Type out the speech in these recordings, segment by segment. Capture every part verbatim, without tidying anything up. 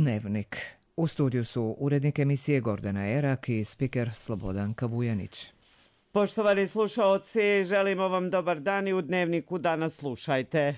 Dnevnik. U studiju su urednik emisije Gordana Erak i spiker Slobodanka Vujanić. Poštovani slušaoci, želimo vam dobar dan i u Dnevniku danas slušajte.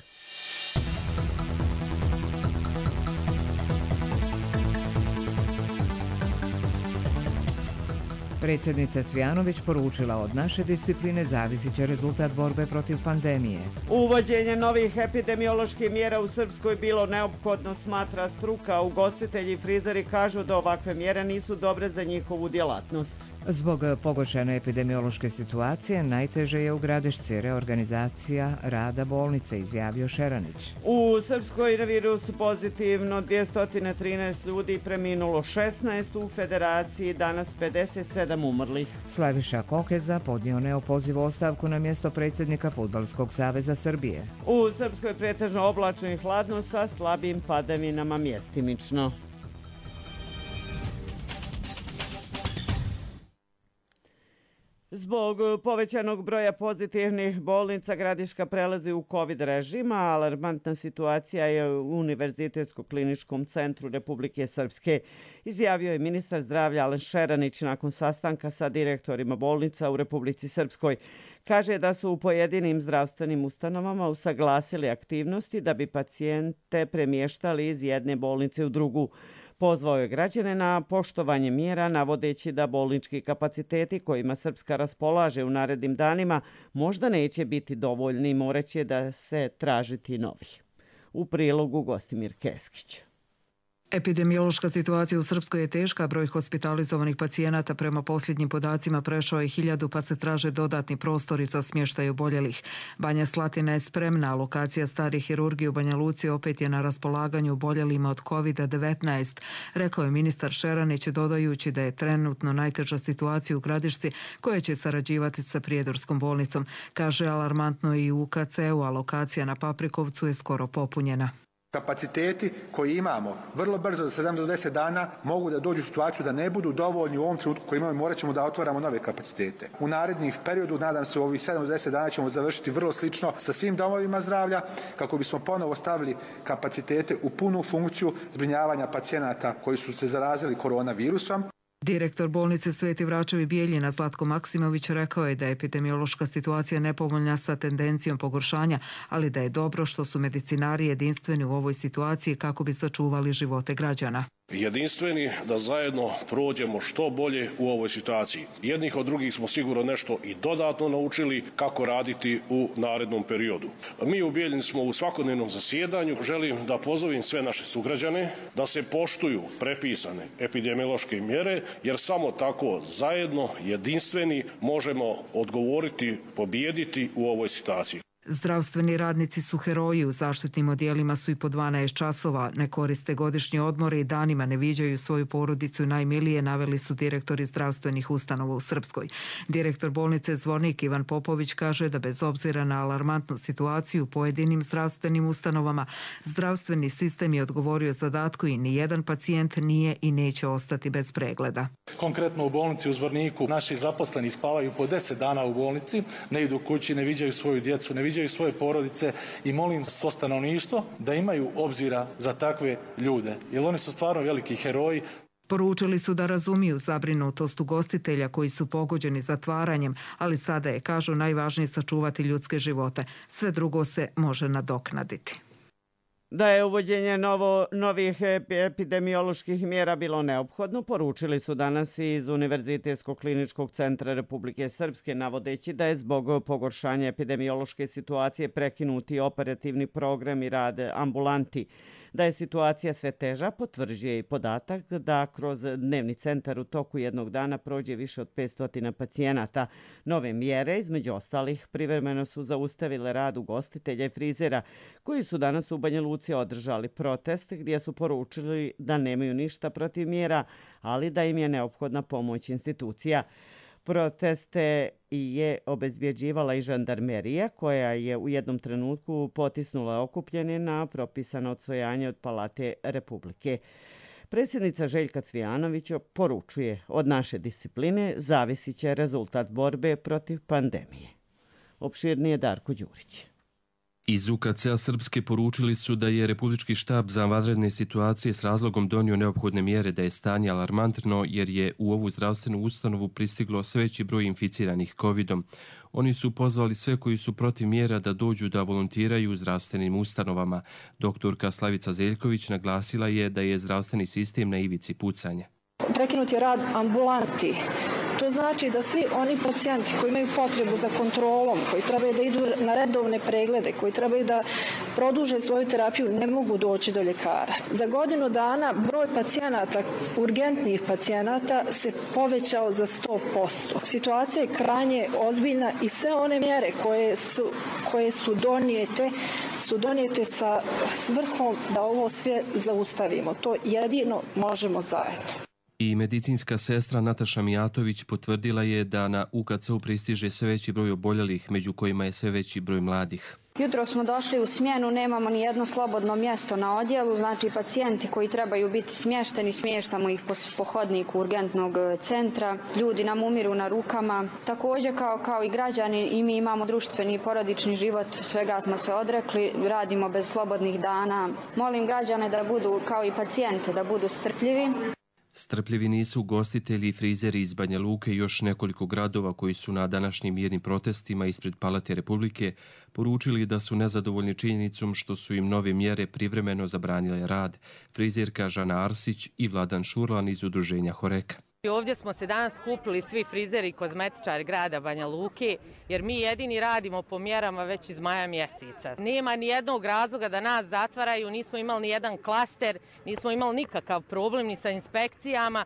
Predsjednica Cvijanović poručila od naše discipline zavisit će rezultat borbe protiv pandemije. Uvođenje novih epidemioloških mjera u Srpskoj bilo neophodno, smatra struka. Ugostitelji i frizeri kažu da ovakve mjere nisu dobre za njihovu djelatnost. Zbog pogoršane epidemiološke situacije najteže je u Gradišci reorganizacija rada bolnice, izjavio Šeranić. U Srpskoj na virus pozitivno dvjesto trinaest ljudi, preminulo šesnaest, u Federaciji danas pedeset sedam umrlih. Slaviša Kokeza podnio neopozivu ostavku na mjesto predsjednika Fudbalskog saveza Srbije. U Srpskoj pretežno oblačno i hladno sa slabim padavinama mjestimično. Zbog povećanog broja pozitivnih bolnica Gradiška prelazi u COVID režim, a alarmantna situacija je u Univerzitetsko-kliničkom centru Republike Srpske, izjavio je ministar zdravlja Alen Šeranić nakon sastanka sa direktorima bolnica u Republici Srpskoj. Kaže da su u pojedinim zdravstvenim ustanovama usaglasili aktivnosti da bi pacijente premještali iz jedne bolnice u drugu. Pozvao je građane na poštovanje mjera, navodeći da bolnički kapaciteti kojima Srpska raspolaže u narednim danima možda neće biti dovoljni i moraće da se tražiti novih. U prilogu Gostimir Keskić. Epidemiološka situacija u Srpskoj je teška, broj hospitalizovanih pacijenata prema posljednjim podacima prešao je hiljadu, pa se traže dodatni prostori za smještaj oboljelih. Banja Slatina je spremna, a lokacija stare hirurgije u Banja Luci opet je na raspolaganju oboljelima od kovid devetnaest, rekao je ministar Šeranić, dodajući da je trenutno najteža situacija u Gradišci koja će sarađivati sa Prijedorskom bolnicom. Kaže, alarmantno i u U K C-u, a lokacija na Paprikovcu je skoro popunjena. Kapaciteti koji imamo vrlo brzo za sedam do deset dana mogu da dođu u situaciju da ne budu dovoljni u ovom trenutku koji imamo i morat ćemo da otvaramo nove kapacitete. U narednih periodu, nadam se u ovih sedam do deset dana ćemo završiti vrlo slično sa svim domovima zdravlja kako bismo ponovo stavili kapacitete u punu funkciju zbrinjavanja pacijenata koji su se zarazili koronavirusom. Direktor bolnice Sveti Vračevi Bijeljina Zlatko Maksimović rekao je da je epidemiološka situacija nepovoljna sa tendencijom pogoršanja, ali da je dobro što su medicinari jedinstveni u ovoj situaciji kako bi sačuvali živote građana. Jedinstveni da zajedno prođemo što bolje u ovoj situaciji. Jednih od drugih smo sigurno nešto i dodatno naučili kako raditi u narednom periodu. Mi u Bijeljini smo u svakodnevnom zasjedanju. Želim da pozovem sve naše sugrađane da se poštuju prepisane epidemiološke mjere, jer samo tako zajedno, jedinstveni, možemo odgovoriti, pobijediti u ovoj situaciji. Zdravstveni radnici su heroji, u zaštitnim odjelima su i po dvanaest časova, ne koriste godišnje odmore i danima ne viđaju svoju porodicu i najmilije, naveli su direktori zdravstvenih ustanova u Srpskoj. Direktor bolnice Zvornik Ivan Popović kaže da bez obzira na alarmantnu situaciju u pojedinim zdravstvenim ustanovama, zdravstveni sistem je odgovorio zadatku i nijedan pacijent nije i neće ostati bez pregleda. Konkretno u bolnici u Zvorniku naši zaposleni spavaju po deset dana u bolnici, ne idu kući, ne viđaju svoju djecu, ne viđaju svoje porodice i molim svo stanovništvo da imaju obzira za takve ljude, jer oni su stvarno veliki heroji. Poručili su da razumiju zabrinutost ugostitelja koji su pogođeni zatvaranjem, ali sada je, kažu, najvažnije sačuvati ljudske živote. Sve drugo se može nadoknaditi. Da je uvođenje novo, novih epidemioloških mjera bilo neophodno, poručili su danas iz Univerzitetsko-kliničkog centra Republike Srpske, navodeći da je zbog pogoršanja epidemiološke situacije prekinuti operativni program i rad ambulanti. Da je situacija sve teža, potvrđuje i podatak da kroz dnevni centar u toku jednog dana prođe više od petsto pacijenata. Nove mjere, između ostalih, privremeno su zaustavile rad ugostitelja i frizera, koji su danas u Banja Luci održali protest gdje su poručili da nemaju ništa protiv mjera, ali da im je neophodna pomoć institucija. Proteste je obezbjeđivala i žandarmerija, koja je u jednom trenutku potisnula okupljene na propisano odstojanje od Palate Republike. Predsjednica Željka Cvijanović poručuje, od naše discipline zavisit će rezultat borbe protiv pandemije. Opširnije Darko Đurić. Iz U K C-a Srpske poručili su da je Republički štab za vanredne situacije s razlogom donio neophodne mjere, da je stanje alarmantno jer je u ovu zdravstvenu ustanovu pristiglo sve veći broj inficiranih kovidom. Oni su pozvali sve koji su protiv mjera da dođu da volontiraju u zdravstvenim ustanovama. Doktorka Slavica Zeljković naglasila je da je zdravstveni sistem na ivici pucanja. Prekinut je rad ambulanti. To znači da svi oni pacijenti koji imaju potrebu za kontrolom, koji trebaju da idu na redovne preglede, koji trebaju da produže svoju terapiju, ne mogu doći do ljekara. Za godinu dana broj pacijenata, urgentnih pacijenata, se povećao za sto posto. Situacija je krajnje ozbiljna i sve one mjere koje su, koje su donijete, su donijete sa svrhom da ovo sve zaustavimo. To jedino možemo zajedno. I medicinska sestra Nataša Mijatović potvrdila je da na U K C-u pristiže sve veći broj oboljelih, među kojima je sve veći broj mladih. Jutro smo došli u smjenu, nemamo ni jedno slobodno mjesto na odjelu, znači pacijenti koji trebaju biti smješteni, smještamo ih po, po hodniku urgentnog centra, ljudi nam umiru na rukama. Također kao, kao i građani i mi imamo društveni i porodični život, svega smo se odrekli, radimo bez slobodnih dana. Molim građane da budu, kao i pacijente, da budu strpljivi. Strpljivi nisu ugostitelji i frizeri iz Banja Luke i još nekoliko gradova koji su na današnjim mirnim protestima ispred Palate Republike poručili da su nezadovoljni činjenicom što su im nove mjere privremeno zabranile rad. Frizerka Žana Arsić i Vladan Šurlan iz udruženja Horeka. Ovdje smo se danas skupili svi frizeri i kozmetičari grada Banja Luke, jer mi jedini radimo po mjerama već iz maja mjeseca. Nema ni jednog razloga da nas zatvaraju, nismo imali ni jedan klaster, nismo imali nikakav problem ni sa inspekcijama.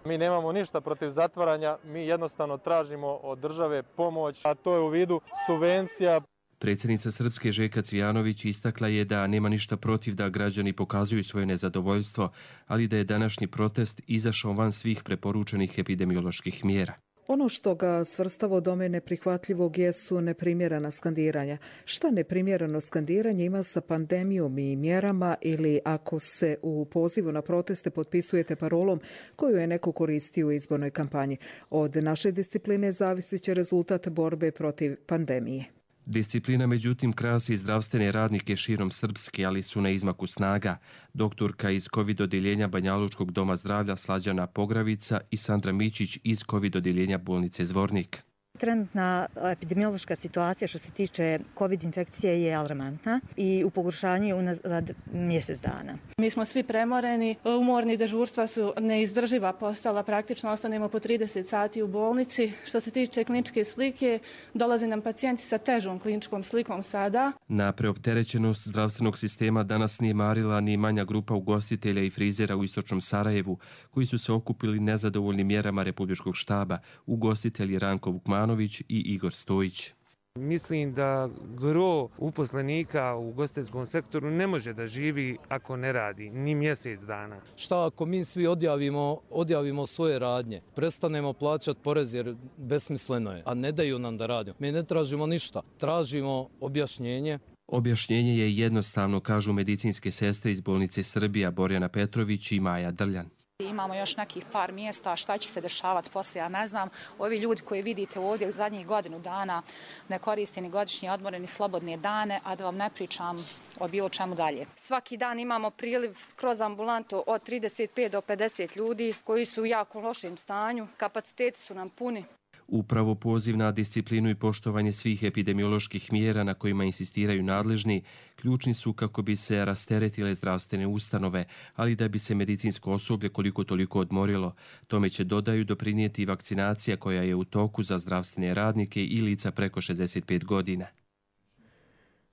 Mi nemamo ništa protiv zatvaranja, mi jednostavno tražimo od države pomoć, a to je u vidu subvencija. Predsjednica Srpske Željka Cvijanović istakla je da nema ništa protiv da građani pokazuju svoje nezadovoljstvo, ali da je današnji protest izašao van svih preporučenih epidemioloških mjera. Ono što ga svrstava u domen neprihvatljivog jesu neprimjerena skandiranja. Šta neprimjereno skandiranje ima sa pandemijom i mjerama ili ako se u pozivu na proteste potpisujete parolom koju je neko koristio u izbornoj kampanji? Od naše discipline zavisit će rezultat borbe protiv pandemije. Disciplina međutim krasi zdravstvene radnike širom Srpske, ali su na izmaku snaga. Doktorka iz COVID odjeljenja Banjalučkog doma zdravlja Slađana Pogravica i Sandra Mičić iz COVID odjeljenja bolnice Zvornik. Trenutna epidemiološka situacija što se tiče COVID infekcije je alarmantna i u pogoršanju je unazad mjesec dana. Mi smo svi premoreni, umorni, dežurstva su neizdrživa postala, praktično ostanemo po trideset sati u bolnici. Što se tiče kliničke slike, dolaze nam pacijenti sa težom kliničkom slikom sada. Na preopterećenost zdravstvenog sistema danas nije marila ni manja grupa ugostitelja i frizera u istočnom Sarajevu, koji su se okupili nezadovoljnim mjerama Republičkog štaba, ugostitelji Ranko Vukmanović i Igor Stojić. Mislim da gro uposlenika u ugostiteljskom sektoru ne može da živi ako ne radi ni mjesec dana. Šta ako mi svi odjavimo, odjavimo svoje radnje, prestanemo plaćati porez jer besmisleno je, a ne daju nam da radimo. Mi ne tražimo ništa, tražimo objašnjenje. Objašnjenje je jednostavno, kažu medicinske sestre iz bolnice Srbija Borjana Petrović i Maja Drljan. Imamo još nekih par mjesta, šta će se dešavati poslije, ja ne znam. Ovi ljudi koji vidite ovdje zadnjih godinu dana ne koriste ni godišnje odmore, ni slobodne dane, a da vam ne pričam o bilo čemu dalje. Svaki dan imamo priliv kroz ambulantu od trideset pet do pedeset ljudi koji su u jako lošem stanju, kapaciteti su nam puni. Upravo poziv na disciplinu i poštovanje svih epidemioloških mjera na kojima insistiraju nadležni ključni su kako bi se rasteretile zdravstvene ustanove, ali da bi se medicinsko osoblje koliko toliko odmorilo. Tome će, dodaju, doprinijeti vakcinacija koja je u toku za zdravstvene radnike i lica preko šezdeset pet godina.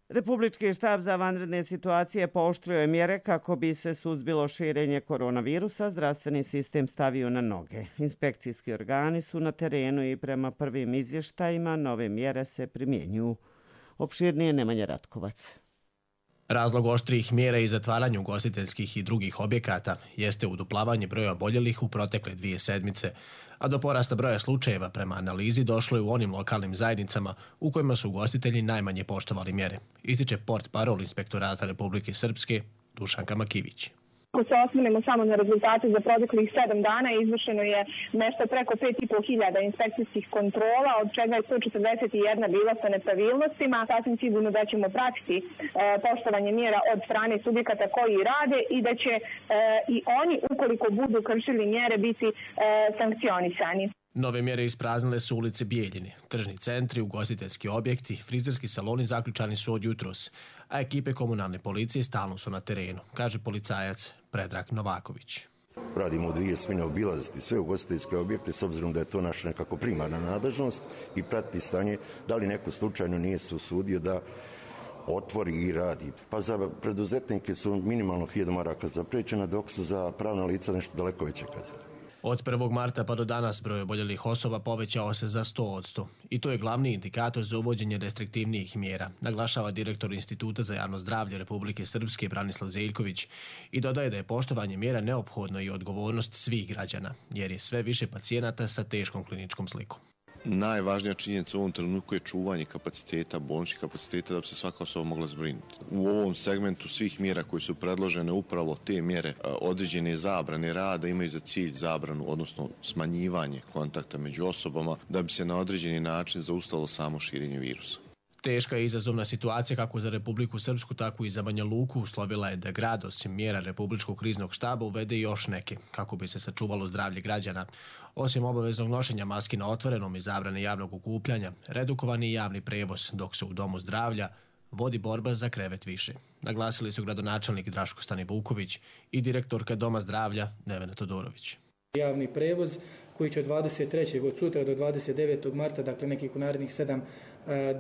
Republički štab za vanredne situacije pooštrio je mjere kako bi se suzbilo širenje koronavirusa, zdravstveni sistem stavio na noge. Inspekcijski organi su na terenu i prema prvim izvještajima nove mjere se primjenjuju. Opširnije Nemanja Ratkovac. Razlog oštrih mjera i zatvaranja ugostiteljskih i drugih objekata jeste uduplavanje broja oboljelih u protekle dvije sedmice, a do porasta broja slučajeva prema analizi došlo je u onim lokalnim zajednicama u kojima su ugostitelji najmanje poštovali mjere, ističe port parol Inspektorata Republike Srpske Dušanka Makivić. Ako se osvrnemo samo na rezultate za proteklih sedam dana, izvršeno je nešto preko pet i po hiljada inspekcijskih kontrola, od čega je sto četrdeset jedna bila sa nepravilnostima. Sasvim sigurno da ćemo pratiti e, poštovanje mjera od strane subjekata koji rade i da će e, i oni, ukoliko budu kršili mjere, biti e, sankcionisani. Nove mjere ispraznile su ulice Bijeljine, tržni centri, ugostiteljski objekti, frizerski saloni zaključani su od jutros, a ekipe komunalne policije stalno su na terenu, kaže policajac Predrag Novaković. Radimo u dvije smjene obilaziti sve ugostiteljske objekte s obzirom da je to naša nekako primarna nadležnost i pratiti stanje da li neko slučajno nije se usudio da otvori i radi. Pa za preduzetnike su minimalno hiljadu maraka zapriječena, dok su za pravna lica nešto daleko veće kazne. Od prvog marta pa do danas broj oboljelih osoba povećao se za sto posto i to je glavni indikator za uvođenje restriktivnijih mjera, naglašava direktor Instituta za javno zdravlje Republike Srpske Branislav Zeljković i dodaje da je poštovanje mjera neophodno i odgovornost svih građana, jer je sve više pacijenata sa teškom kliničkom slikom. Najvažnija činjenica u ovom trenutku je čuvanje kapaciteta, bolničkih kapaciteta da bi se svaka osoba mogla zbrinuti. U ovom segmentu svih mjera koji su predložene, upravo te mjere određene zabrane rada imaju za cilj zabranu, odnosno smanjivanje kontakta među osobama da bi se na određeni način zaustavilo samo širenje virusa. Teška i izazovna situacija kako za Republiku Srpsku, tako i za Banja Luku uslovila je da grad osim mjera Republičkog kriznog štaba uvede još neke, kako bi se sačuvalo zdravlje građana. Osim obaveznog nošenja maski na otvorenom i zabrane javnog okupljanja, redukovani javni prevoz, dok se u Domu zdravlja vodi borba za krevet više. Naglasili su gradonačelnik Draško Stanivuković i direktorka Doma zdravlja Nevena Todorović. Javni prevoz koji će od dvadeset trećeg od sutra do dvadeset devetog marta, dakle nekih u narednih sedam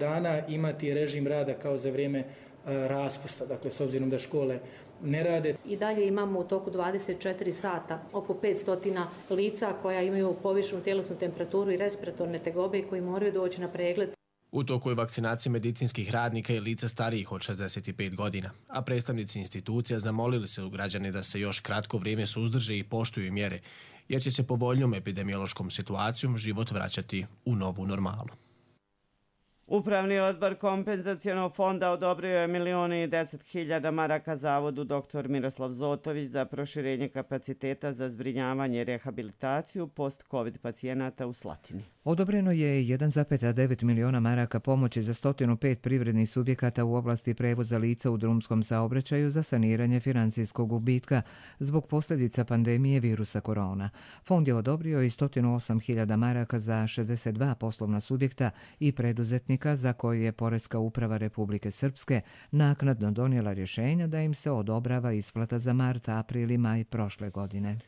dana, imati režim rada kao za vrijeme raspusta, dakle s obzirom da škole ne rade. I dalje imamo u toku dvadeset četiri sata oko petsto lica koja imaju povišenu tjelesnu temperaturu i respiratorne tegobe koji moraju doći na pregled. U toku je vakcinacija medicinskih radnika i lica starijih od šezdeset pet godina, a predstavnici institucija zamolili se u građane da se još kratko vrijeme suzdrže i poštuju mjere, jer će se povoljnjom epidemiološkom situacijom život vraćati u novu normalu. Upravni odbor kompenzacionog fonda odobrio je milioni i deset hiljada maraka zavodu doktor Miroslav Zotović za proširenje kapaciteta za zbrinjavanje i rehabilitaciju post-covid pacijenata u Slatini. Odobreno je jedan zarez devet miliona maraka pomoći za sto pet privrednih subjekata u oblasti prevoza lica u drumskom saobraćaju za saniranje financijskog gubitka zbog posljedica pandemije virusa korona. Fond je odobrio i sto osam hiljada maraka za šezdeset dva poslovna subjekta i preduzetnika za koje je Poreska uprava Republike Srpske naknadno donijela rješenja da im se odobrava isplata za mart, april i maj prošle godine.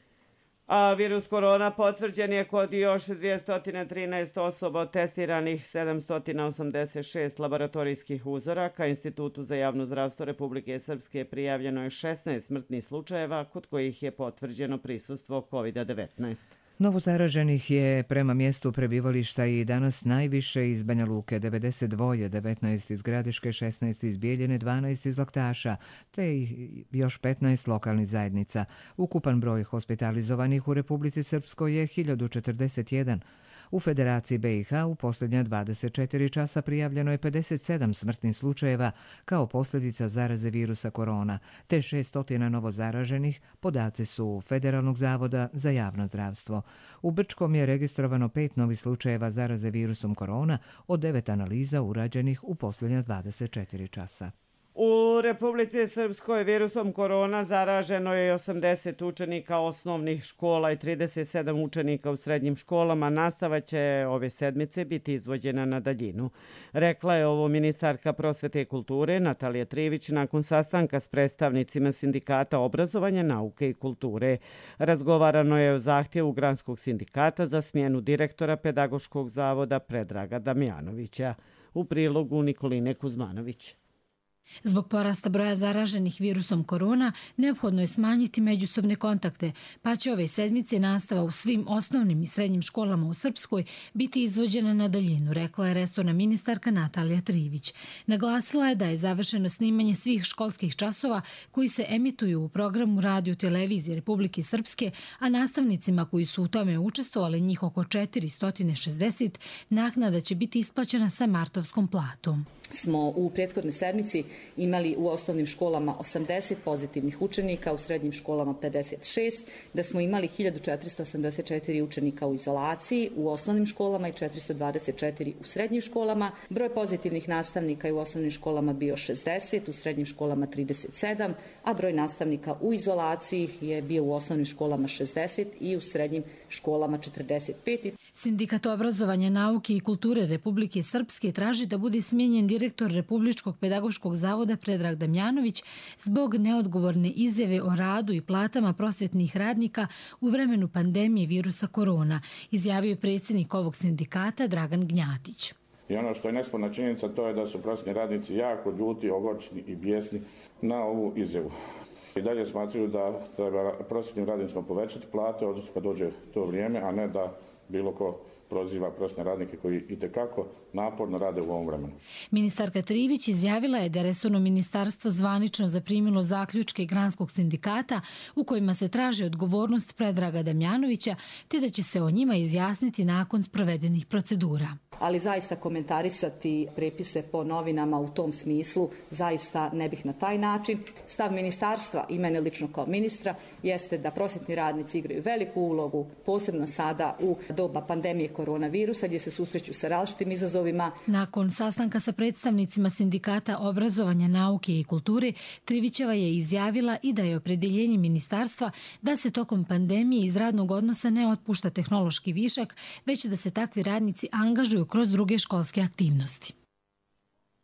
A virus korona potvrđen je kod još dvjesto trinaest osoba od testiranih sedamsto osamdeset šest laboratorijskih uzoraka. Institutu za javno zdravstvo Republike Srpske prijavljeno je šesnaest smrtnih slučajeva kod kojih je potvrđeno prisustvo kovid devetnaest. Novozaraženih je prema mjestu prebivališta i danas najviše iz Banja Luke, devedeset dva, devetnaest iz Gradiške, šesnaest iz Bijeljine, dvanaest iz Laktaša, te još petnaest lokalnih zajednica. Ukupan broj hospitalizovanih u Republici Srpskoj je hiljadu četrdeset jedan. U Federaciji B i H u posljednja dvadeset četiri časa prijavljeno je pedeset sedam smrtnih slučajeva kao posljedica zaraze virusa korona, te šessto novozaraženih, podaci su Federalnog zavoda za javno zdravstvo. U Brčkom je registrovano pet novih slučajeva zaraze virusom korona od devet analiza urađenih u posljednja dvadeset četiri časa. U Republici Srpskoj virusom korona zaraženo je osamdeset učenika osnovnih škola i trideset sedam učenika u srednjim školama. Nastava će ove sedmice biti izvođena na daljinu. Rekla je ovo ministarka prosvete i kulture Natalija Trivić nakon sastanka s predstavnicima sindikata obrazovanja, nauke i kulture. Razgovarano je o zahtjevu Granskog sindikata za smjenu direktora Pedagoškog zavoda Predraga Damjanovića. U prilogu Nikoline Kuzmanović. Zbog porasta broja zaraženih virusom korona, neophodno je smanjiti međusobne kontakte, pa će ove sedmice nastava u svim osnovnim i srednjim školama u Srpskoj biti izvođena na daljinu, rekla je resorna ministarka Natalija Trivić. Naglasila je da je završeno snimanje svih školskih časova koji se emituju u programu Radio televizije Republike Srpske, a nastavnicima koji su u tome učestvovali, njih oko četiristo šezdeset, naknada će biti isplaćena sa martovskom platom. Smo u prethodnoj sedmici imali u osnovnim školama osamdeset pozitivnih učenika, u srednjim školama pedeset šest, da smo imali hiljadu četiristo osamdeset četiri učenika u izolaciji u osnovnim školama i četiristo dvadeset četiri u srednjim školama. Broj pozitivnih nastavnika je u osnovnim školama bio šezdeset, u srednjim školama trideset sedam, a broj nastavnika u izolaciji je bio u osnovnim školama šezdeset i u srednjim školama četrdeset pet. Sindikat obrazovanja, nauke i kulture Republike Srpske traži da bude smijenjen direktor Republičkog pedagoškog zavoda Predrag Damjanović zbog neodgovorne izjave o radu i platama prosvjetnih radnika u vremenu pandemije virusa korona, izjavio je predsjednik ovog sindikata Dragan Gnjatić. I ono što je nesporna činjenica, to je da su prosvjetni radnici jako ljuti, ogorčeni i bijesni na ovu izjavu. I dalje smatraju da treba prosvjetnim radnicima povećati plate, odnosno kad dođe to vrijeme, a ne da bilo ko proziva prosvjetne radnike koji itekako naporno rade u ovom vremenu. Ministarka Trivić izjavila je da je resorno ministarstvo zvanično zaprimilo zaključke Granskog sindikata u kojima se traži odgovornost Predraga Damjanovića, te da će se o njima izjasniti nakon sprovedenih procedura. Ali zaista komentarisati prepise po novinama u tom smislu zaista ne bih na taj način. Stav ministarstva i mene lično kao ministra jeste da prosvjetni radnici igraju veliku ulogu, posebno sada u doba pandemije koronavirusa gdje se susreću sa različitim izazovima. Nakon sastanka sa predstavnicima sindikata obrazovanja, nauke i kulture, Trivićeva je izjavila i da je opredjeljenje ministarstva da se tokom pandemije iz radnog odnosa ne otpušta tehnološki višak, već da se takvi radnici angažuju kroz druge školske aktivnosti.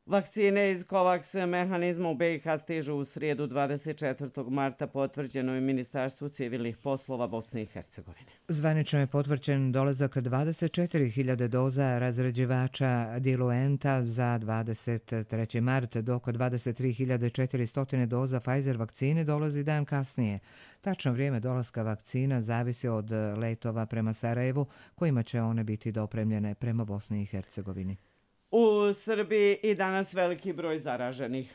Vakcine iz COVAX mehanizma u B i H stižu u srijedu dvadeset četvrtog marta, potvrđeno je Ministarstvu civilnih poslova Bosne i Hercegovine. Zvanično je potvrđen dolazak dvadeset četiri hiljade doza razređivača Diluenta za dvadeset treći mart, dok dvadeset tri hiljade četiristo doza Pfizer vakcine dolazi dan kasnije. Tačno vrijeme dolaska vakcina zavisi od letova prema Sarajevu, kojima će one biti dopremljene prema Bosni i Hercegovini. U Srbiji i danas veliki broj zaraženih.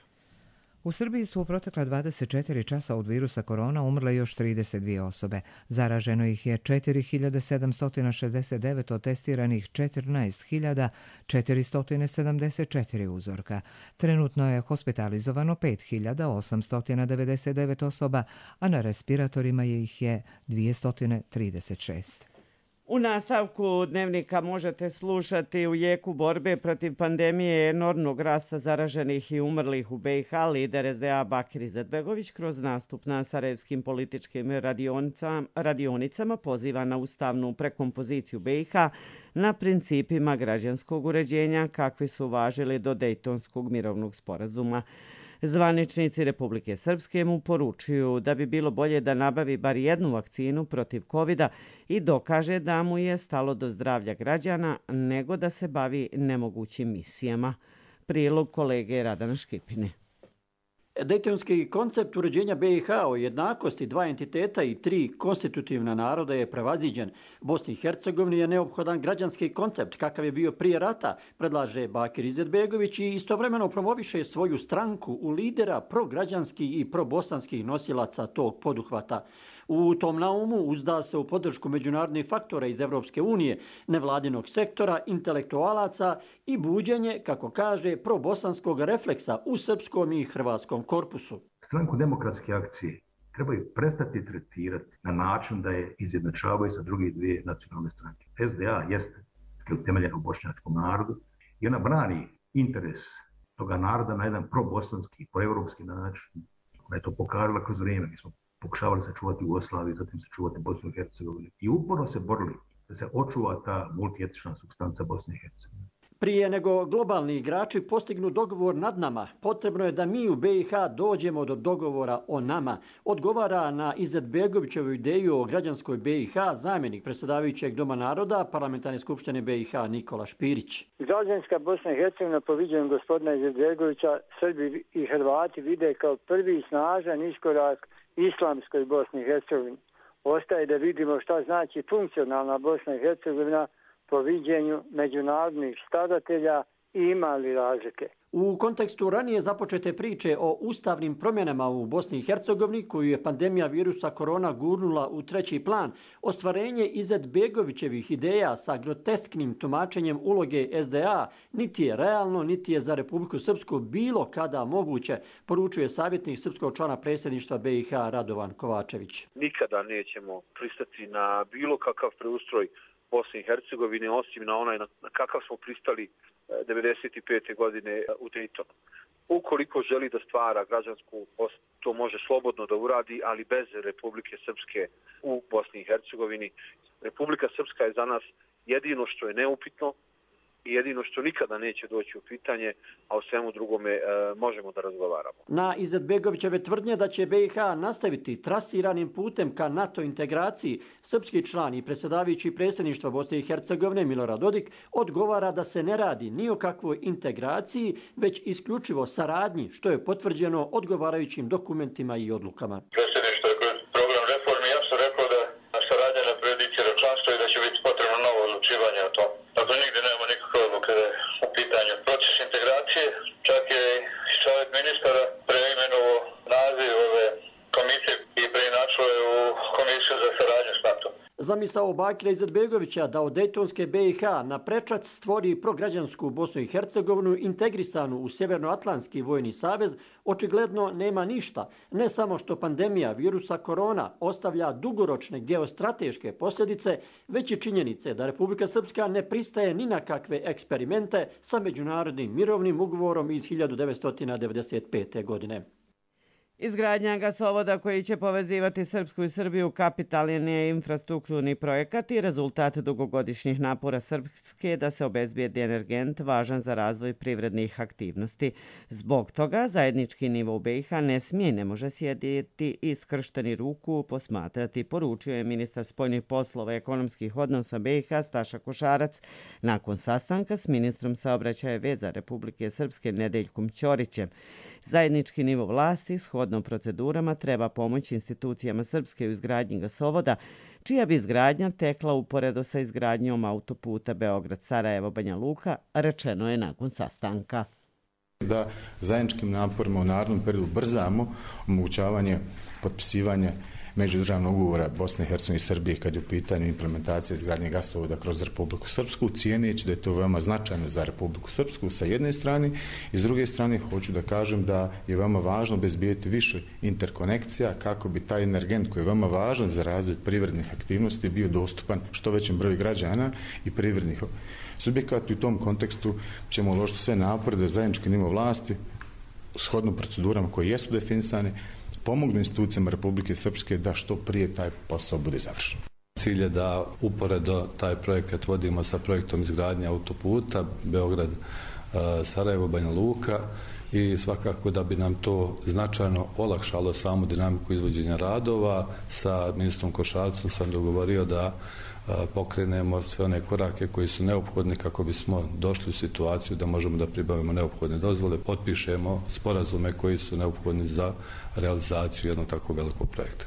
U Srbiji su u protekla dvadeset četiri časa od virusa korona umrle još trideset dvije osobe. Zaraženo ih je četiri hiljade sedamsto šezdeset devet od testiranih četrnaest hiljada četiristo sedamdeset četiri uzorka. Trenutno je hospitalizovano pet hiljada osamsto devedeset devet osoba, a na respiratorima ih je dvjesto trideset šest. U nastavku dnevnika možete slušati u jeku borbe protiv pandemije enormnog rasta zaraženih i umrlih u B i H lider S D A Bakir Izetbegović kroz nastup na sarajevskim političkim radionicama, radionicama poziva na ustavnu prekompoziciju B i H na principima građanskog uređenja kakvi su važili do Dejtonskog mirovnog sporazuma. Zvaničnici Republike Srpske mu poručuju da bi bilo bolje da nabavi bar jednu vakcinu protiv kovida i dokaže da mu je stalo do zdravlja građana nego da se bavi nemogućim misijama. Prilog kolege Radana Škipine. Dejtonski koncept uređenja B i H o jednakosti dva entiteta i tri konstitutivna naroda je prevaziđen. Bosni i Hercegovini je neophodan građanski koncept kakav je bio prije rata, predlaže Bakir Izetbegović i istovremeno promoviše svoju stranku u lidera prograđanskih i probosanskih nosilaca tog poduhvata. U tom naumu uzda se u podršku međunarodnih faktora iz Evropske unije, nevladinog sektora, intelektualaca i buđenje, kako kaže, probosanskog refleksa u srpskom i hrvatskom korpusu. Stranku demokratske akcije trebaju prestati tretirati na način da je izjednačavaju sa druge dvije nacionalne stranke. S D A jeste utemeljena u bošnjačkom narodu i ona brani interes toga naroda na jedan probosanski, proevropski način. Ona je to pokazala kroz vrijeme. Mi smo pokušavali sačuvati Jugoslaviju, zatim sačuvati Bosnu i Hercegovinu i uporno se borili da se očuva ta multietična supstanca Bosne i Hercegovine. Prije nego globalni igrači postignu dogovor nad nama, potrebno je da mi u B i H dođemo do dogovora o nama. Odgovara na Izetbegovićevu ideju o građanskoj B i H zamjenik predsjedavajućeg Doma naroda Parlamentarne skupštine B i H Nikola Špirić. Građanska Bosna i Hercegovina po viđenju gospodina Izetbegovića Srbi i Hrvati vide kao prvi snažan iskorak islamskoj Bosni i Hercegovini. Ostaje da vidimo šta znači funkcionalna Bosna i Hercegovina po viđenju međunarodnih stadatelja i ima li razlike. U kontekstu ranije započete priče o ustavnim promjenama u Bosni i Hercegovini, koju je pandemija virusa korona gurnula u treći plan, ostvarenje Izetbegovićevih ideja sa grotesknim tumačenjem uloge S D A niti je realno, niti je za Republiku Srpsku bilo kada moguće, poručuje savjetnik srpskog člana predsjedništva B i H Radovan Kovačević. Nikada nećemo pristati na bilo kakav preustroj Bosne i Hercegovine, osim na onaj na kakav smo pristali devedeset pete godine u Daytonu. Ukoliko želi da stvara građansku Bosnu, to može slobodno da uradi, ali bez Republike Srpske u Bosni i Hercegovini. Republika Srpska je za nas jedino što je neupitno i jedino što nikada neće doći u pitanje, a o svemu drugome e, možemo da razgovaramo. Na Izetbegovićeve tvrdnje da će B i H nastaviti trasiranim putem ka NATO integraciji, srpski član i predsjedavajući predsjedništva Bosne i Hercegovine Milorad Dodik odgovara da se ne radi ni o kakvoj integraciji, već isključivo saradnji, što je potvrđeno odgovarajućim dokumentima i odlukama. Predsjedništvo je kroz program reformi jasno rekao da saradnja na prejudicira članstvo i da će biti potrebno novo odlučivanje o tom. Dakle, nigdje nema nikakve odluke u pitanju proces integracije. Čak je i savjet ministara preimenovao naziv ove komisije i preinačilo je u komisiju za saradnju s NATO. Zamisao Bakira Izetbegovića da od Dejtonske B i H na prečac stvori prograđansku Bosnu i Hercegovinu integrisanu u Sjevernoatlantski vojni savez očigledno nema ništa. Ne samo što pandemija virusa korona ostavlja dugoročne geostrateške posljedice, već i činjenice da Republika Srpska ne pristaje ni na kakve eksperimente sa međunarodnim mirovnim ugovorom iz hiljadu devetsto devedeset pete. godine. Izgradnja gasovoda koji će povezivati Srpsku i Srbiju kapitalni je infrastrukturni projekat i rezultat dugogodišnjih napora Srpske da se obezbijedi energent važan za razvoj privrednih aktivnosti. Zbog toga zajednički nivo u B i H ne smije i ne može sjediti i skršteni ruku posmatrati, poručio je ministar spoljnih poslova i ekonomskih odnosa B i H Staša Košarac nakon sastanka s ministrom saobraćaja i veza Republike Srpske Nedeljkom Ćorićem. Zajednički nivo vlasti shodno procedurama treba pomoći institucijama Srpske u izgradnji gasovoda, čija bi izgradnja tekla uporedo sa izgradnjom autoputa Beograd-Sarajevo-Banja Luka, rečeno je nakon sastanka. Da zajedničkim naporima u narednom periodu brzamo omogućavanje potpisivanja međudržavnog ugovora Bosne i Hercegovine i Srbije kad je u pitanju implementacija izgradnje gasovoda kroz Republiku Srpsku, cijeneći da je to veoma značajno za Republiku Srpsku sa jedne strane i s druge strane hoću da kažem da je veoma važno obezbijeti više interkonekcija kako bi taj energent koji je veoma važan za razvoj privrednih aktivnosti bio dostupan što većem broju građana i privrednih subjekata. U tom kontekstu ćemo uložiti sve napore da zajednički nivo vlasti shodno procedurama koje jesu definisane pomognu institucijama Republike Srpske da što prije taj posao bude završen. Cilj je da uporedo taj projekat vodimo sa projektom izgradnje autoputa Beograd, Sarajevo, Banja Luka i svakako da bi nam to značajno olakšalo samu dinamiku izvođenja radova. Sa ministrom Košarcom sam dogovorio da pokrenemo sve one korake koji su neophodni kako bismo došli u situaciju da možemo da pribavimo neophodne dozvole, potpišemo sporazume koji su neophodni za realizaciju jednog tako velikog projekta.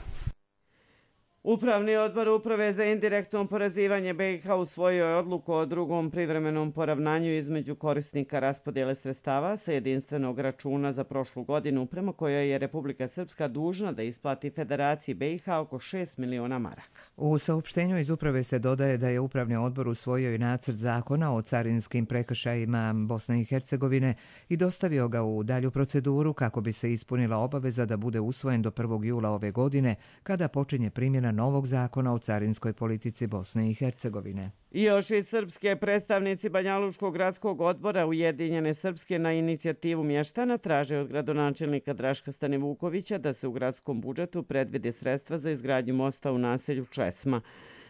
Upravni odbor Uprave za indirektno oporezivanje B i H usvojio je odluku o drugom privremenom poravnanju između korisnika raspodjele sredstava sa jedinstvenog računa za prošlu godinu, prema kojoj je Republika Srpska dužna da isplati Federaciji B i H oko šest miliona maraka. U saopštenju iz Uprave se dodaje da je Upravni odbor usvojio i nacrt zakona o carinskim prekršajima Bosne i Hercegovine i dostavio ga u dalju proceduru kako bi se ispunila obaveza da bude usvojen do prvog jula ove godine, kada počinje primjena novog zakona o carinskoj politici Bosne i Hercegovine. I još i srpske predstavnici Banjalučkog gradskog odbora Ujedinjene Srpske na inicijativu mještana traže od gradonačelnika Draška Stanivukovića da se u gradskom budžetu predvide sredstva za izgradnju mosta u naselju Česma.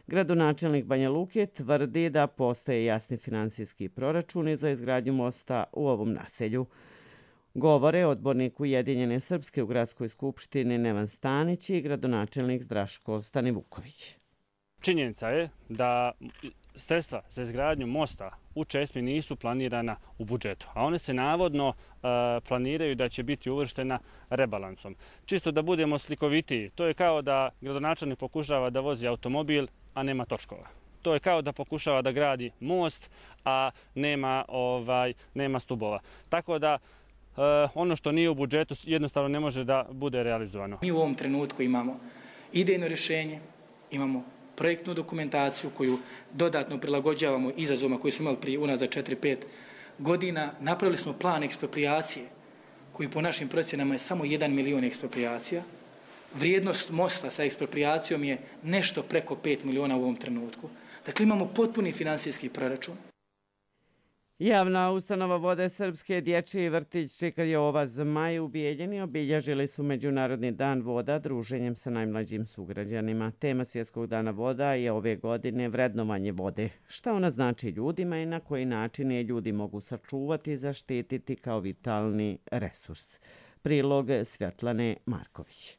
Gradonačelnik Banja Luke tvrdi da postoje jasni finansijski proračuni za izgradnju mosta u ovom naselju. Govore odbornik Ujedinjene Srpske u gradskoj skupštini Nevan Stanić i gradonačelnik Draško Stanivuković. Činjenica je da sredstva za izgradnju mosta u Česmi nisu planirana u budžetu, a one se navodno uh, planiraju da će biti uvrštena rebalansom. Čisto da budemo slikovitiji, to je kao da gradonačelnik pokušava da vozi automobil, a nema točkova. To je kao da pokušava da gradi most, a nema, ovaj, nema stubova. Tako da Uh, ono što nije u budžetu jednostavno ne može da bude realizovano. Mi u ovom trenutku imamo idejno rješenje, imamo projektnu dokumentaciju koju dodatno prilagođavamo izazovima koji smo imali prije unazad četiri pet godina. Napravili smo plan ekspropriacije koji po našim procjenama je samo jedan milion ekspropriacija. Vrijednost mosta sa ekspropriacijom je nešto preko pet miliona u ovom trenutku. Dakle, imamo potpuni finansijski proračun. Javna ustanova Vode Srpske, dječji vrtić Čika Jova Zmaj u Bijeljini obilježili su Međunarodni dan voda druženjem sa najmlađim sugrađanima. Tema Svjetskog dana voda je ove godine vrednovanje vode. Šta ona znači ljudima i na koji način je ljudi mogu sačuvati i zaštititi kao vitalni resurs. Prilog Svjetlane Marković.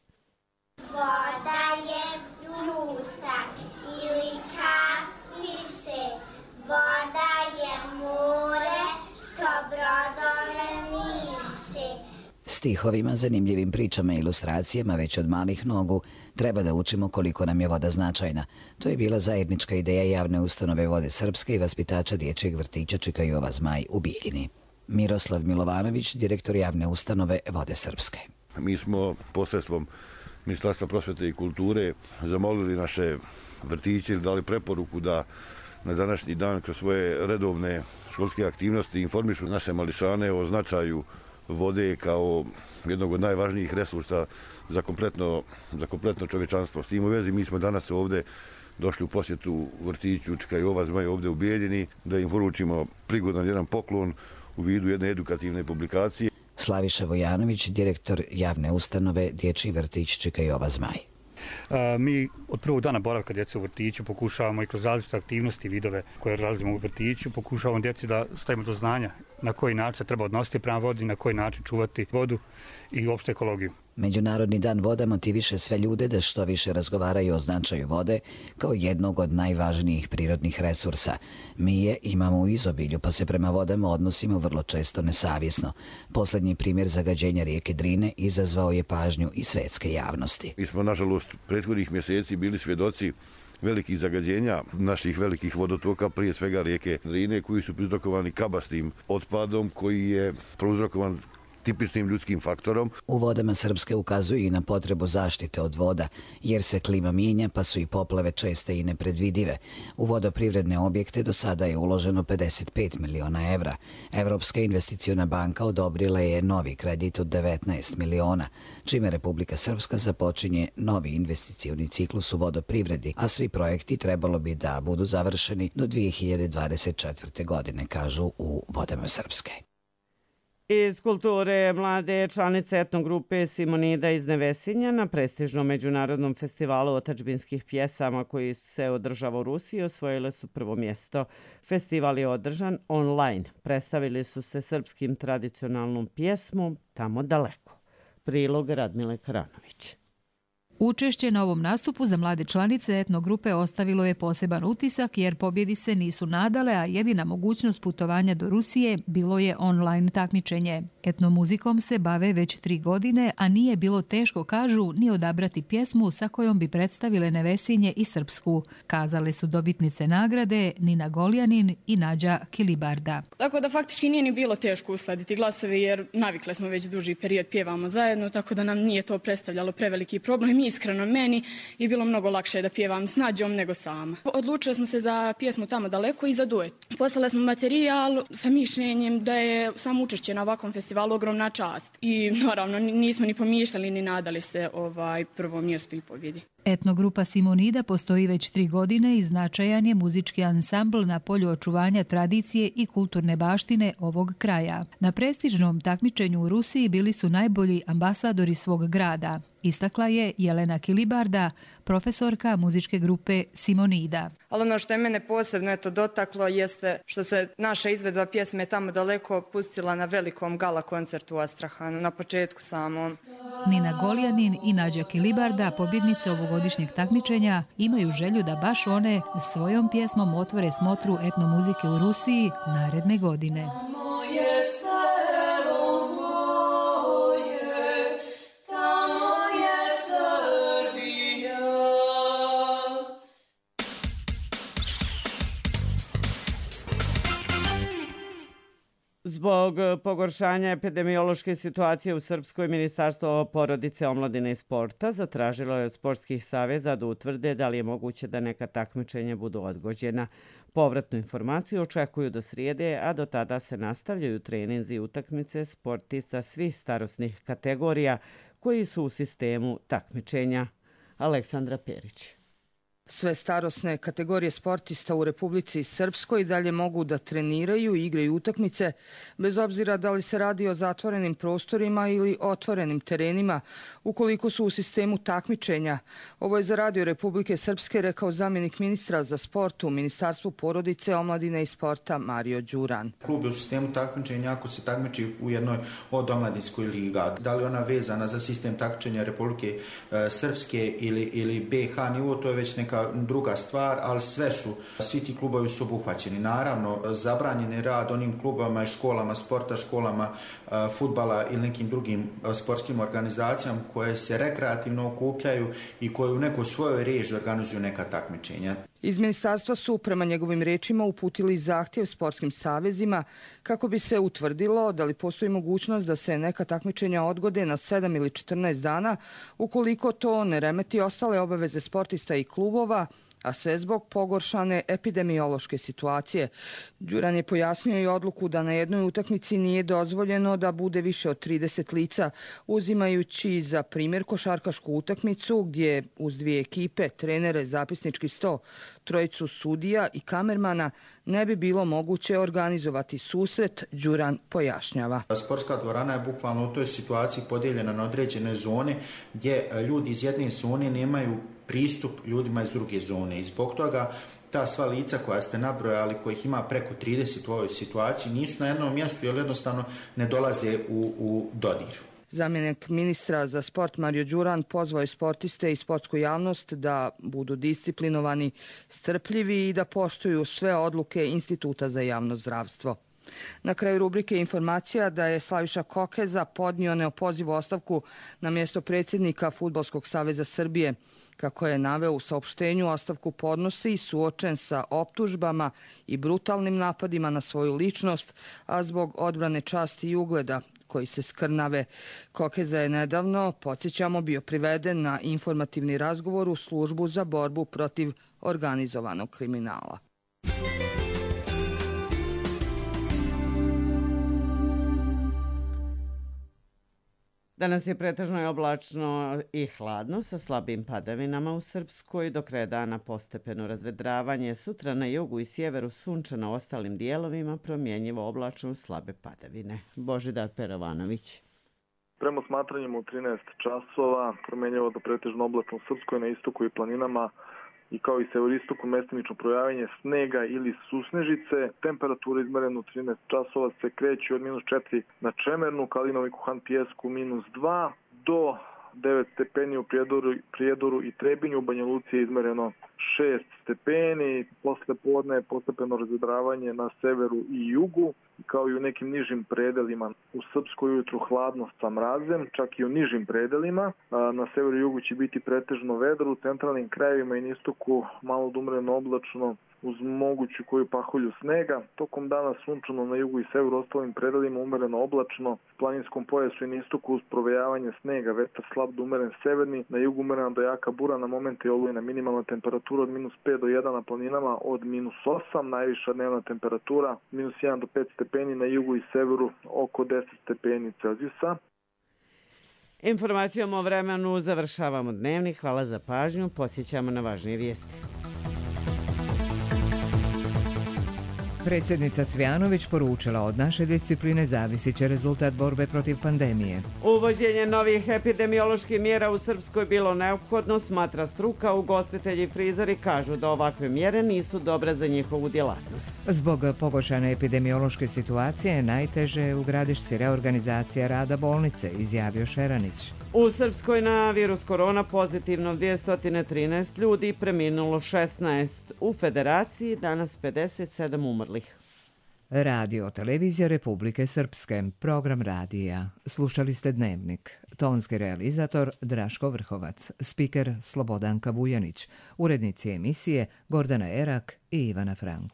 Voda je pljusak ili kap kiše. Voda je more što brodove niše. Stihovima, zanimljivim pričama i ilustracijama već od malih nogu treba da učimo koliko nam je voda značajna. To je bila zajednička ideja javne ustanove Vode Srpske i vaspitača dječjeg vrtića Čika Jova Zmaj u Bijeljini. Miroslav Milovanović, direktor javne ustanove Vode Srpske. Mi smo posredstvom Ministarstva prosvjete i kulture zamolili naše vrtiće i dali preporuku da na današnji dan kroz svoje redovne školske aktivnosti informišu naše mališane o značaju vode kao jednog od najvažnijih resursa za kompletno, za kompletno čovječanstvo. S tim u vezi mi smo danas ovdje došli u posjetu vrtiću Čika Jova Zmaj ovdje u Bijeljini da im poručimo prigodan jedan poklon u vidu jedne edukativne publikacije. Slaviša Vojanović, direktor javne ustanove Dječji vrtić Čika Jova Zmaj. Mi od prvog dana boravka djece u vrtiću pokušavamo i kroz različite aktivnosti i vidove koje realizujemo u vrtiću, pokušavamo djeci da stavimo do znanja na koji način se treba odnositi prema vodi, na koji način čuvati vodu i uopšte ekologiju. Međunarodni dan voda motiviše sve ljude da što više razgovaraju o značaju vode kao jednog od najvažnijih prirodnih resursa. Mi je imamo u izobilju, pa se prema vodama odnosimo vrlo često nesavjesno. Posljednji primjer zagađenja rijeke Drine izazvao je pažnju i svetske javnosti. Mi smo, nažalost, prethodnih mjeseci bili svjedoci velikih zagađenja naših velikih vodotoka, prije svega rijeke Drine, koji su prouzrokovani kabastim otpadom koji je prouzrokovan tipičnim ljudskim faktorom. U Vodama Srpske ukazuju i na potrebu zaštite od voda, jer se klima mijenja pa su i poplave česte i nepredvidive. U vodoprivredne objekte do sada je uloženo pedeset pet miliona evra. Evropska investiciona banka odobrila je novi kredit od devetnaest miliona, čime Republika Srpska započinje novi investicioni ciklus u vodoprivredi, a svi projekti trebalo bi da budu završeni do dvije hiljade dvadeset četvrte. godine, kažu u Vodama Srpske. Iz kulture mlade članice etnogrupe Simonida iz Nevesinja na prestižnom međunarodnom festivalu otadžbinskih pjesama koji se održava u Rusiji osvojile su prvo mjesto. Festival je održan online. Predstavili su se srpskim tradicionalnom pjesmom Tamo daleko. Prilog Radmile Karanović. Učešće na ovom nastupu za mlade članice etnogrupe ostavilo je poseban utisak jer pobjedi se nisu nadale, a jedina mogućnost putovanja do Rusije bilo je online takmičenje. Etnomuzikom se bave već tri godine, a nije bilo teško, kažu, ni odabrati pjesmu sa kojom bi predstavile Nevesinje i Srpsku. Kazale su dobitnice nagrade Nina Goljanin i Nađa Kilibarda. Tako da faktički nije ni bilo teško uskladiti glasove jer navikle smo već duži period pjevamo zajedno, tako da nam nije to predstavljalo preveliki problem. Iskreno, meni je bilo mnogo lakše da pjevam s Nađom nego sama. Odlučili smo se za pjesmu Tamo daleko i za duet. Poslali smo materijal sa mišljenjem da je samo učešće na ovakvom festivalu ogromna čast. I naravno nismo ni pomišljali ni nadali se ovaj prvom mjestu i pobjedi. Etnogrupa Simonida postoji već tri godine i značajan je muzički ansambl na polju očuvanja tradicije i kulturne baštine ovog kraja. Na prestižnom takmičenju u Rusiji bili su najbolji ambasadori svog grada, istakla je Jelena Kilibarda, profesorka muzičke grupe Simonida. Ali ono što je mene posebno eto dotaklo jeste što se naša izvedba pjesme Tamo daleko pustila na velikom gala koncertu u Astrahanu, na početku samom. Nina Goljanin i Nađa Kilibarda, pobjednice ovogodišnjeg takmičenja, imaju želju da baš one svojom pjesmom otvore smotru etnomuzike u Rusiji naredne godine. Zbog pogoršanja epidemiološke situacije u Srpskoj, Ministarstvo porodice, omladine i sporta zatražilo je od sportskih saveza da utvrde da li je moguće da neka takmičenja budu odgođena. Povratnu informaciju očekuju do srijede, a do tada se nastavljaju treninzi i utakmice sportista svih starosnih kategorija koji su u sistemu takmičenja. Aleksandra Perić. Sve starosne kategorije sportista u Republici Srpskoj dalje mogu da treniraju i igraju utakmice, bez obzira da li se radi o zatvorenim prostorima ili otvorenim terenima, ukoliko su u sistemu takmičenja. Ovo je za Radio Republike Srpske rekao zamjenik ministra za sport u Ministarstvu porodice, omladine i sporta Mario Đuran. Klub je u sistemu takmičenja ako se takmiči u jednoj od omladinskoj liga. Da li ona vezana za sistem takmičenja Republike Srpske ili, ili B H nivo, to je već neka druga stvar, ali sve su, svi ti klubovi su obuhvaćeni. Naravno, zabranjen je rad onim klubama i školama sporta, školama fudbala ili nekim drugim sportskim organizacijama koje se rekreativno okupljaju i koje u nekoj svojoj režiji organizuju neka takmičenja. Iz ministarstva su, prema njegovim rečima, uputili zahtjev sportskim savezima kako bi se utvrdilo da li postoji mogućnost da se neka takmičenja odgode na sedam ili četrnaest dana, ukoliko to ne remeti ostale obaveze sportista i klubova, a sve zbog pogoršane epidemiološke situacije. Đuran je pojasnio i odluku da na jednoj utakmici nije dozvoljeno da bude više od trideset lica, uzimajući za primjer košarkašku utakmicu gdje uz dvije ekipe, trenere, zapisnički sto, trojicu sudija i kamermana ne bi bilo moguće organizovati susret, Đuran pojašnjava. Sportska dvorana je bukvalno u toj situaciji podijeljena na određene zone gdje ljudi iz jedne zone nemaju pristup ljudima iz druge zone. I zbog toga ta sva lica koja ste nabrojali, kojih ima preko trideset u ovoj situaciji, nisu na jednom mjestu jer jednostavno ne dolaze u, u dodir. Zamjenik ministra za sport Mario Đuran pozvao je sportiste i sportsku javnost da budu disciplinovani, strpljivi i da poštuju sve odluke Instituta za javno zdravstvo. Na kraju rubrike informacija da je Slaviša Kokeza podnio neopozivu ostavku na mjesto predsjednika Fudbalskog saveza Srbije. Kako je naveo u saopštenju, ostavku podnosi i suočen sa optužbama i brutalnim napadima na svoju ličnost, a zbog odbrane časti i ugleda koji se skrnave. Kokeza je nedavno, podsjećamo, bio priveden na informativni razgovor u službu za borbu protiv organizovanog kriminala. Danas je pretežno i oblačno i hladno sa slabim padavinama u Srpskoj, do kraja dana postepeno razvedravanje, sutra na jugu i sjeveru sunčano, ostalim dijelovima promjenjivo oblačno slabe padavine. Božidar Perovanović. Prema smatranjima u trinaest časova promjenjivo do pretežno oblačno u Srpskoj, na istoku i planinama i kao i severistoku mestimično projavljanje snega ili susnežice. Temperatura izmerena u trinaest časova se kreće od minus četiri na Čemernu, Kalinovi Kuhan Pijesku minus dva do devet stepeni u Prijedoru, Prijedoru i Trebinju. U Banja Luci je izmereno šest stepeni. Posle podne je postepeno razvedravanje na severu i jugu, kao i u nekim nižim predelima. U Srpskoj ujutru hladno sa mrazem, čak i u nižim predelima. Na severu i jugu će biti pretežno vedro, u centralnim krajevima i na istoku malo dumreno oblačno uz moguću koju pahulju snega. Tokom dana sunčano na jugu i severu, ostalim predelima umereno oblačno, u planinskom pojasu i na istoku uz provejavanje snega, vetar slab do umeren severni, na jugu umerena do jaka bura, na momente olujna, minimalna temperatura od minus pet do jedan, na planinama od minus osam, najviša dnevna temperatura minus jedan do pet stepeni, na jugu i severu oko deset stepeni Celzijusa. Informacijom o vremenu završavamo dnevnik. Hvala za pažnju. Posjećamo na važnije vijesti. Predsjednica Cvjanović poručila: od naše discipline zavisit će rezultat borbe protiv pandemije. Uvođenje novih epidemioloških mjera u Srpskoj bilo neophodno, smatra struka. Ugostitelji i frizeri kažu da ovakve mjere nisu dobre za njihovu djelatnost. Zbog pogoršane epidemiološke situacije najteže je u Gradišci reorganizacija rada bolnice, izjavio Šeranić. U Srpskoj na virus korona pozitivno dvjesto trinaest ljudi, preminulo šesnaest. U Federaciji danas pedeset sedam umrlih. Radio televizija Republike Srpske, program radija. Slušali ste Dnevnik. Tonski realizator Draško Vrhovac, spiker Slobodanka Vujanić, urednici emisije Gordana Erak i Ivana Frank.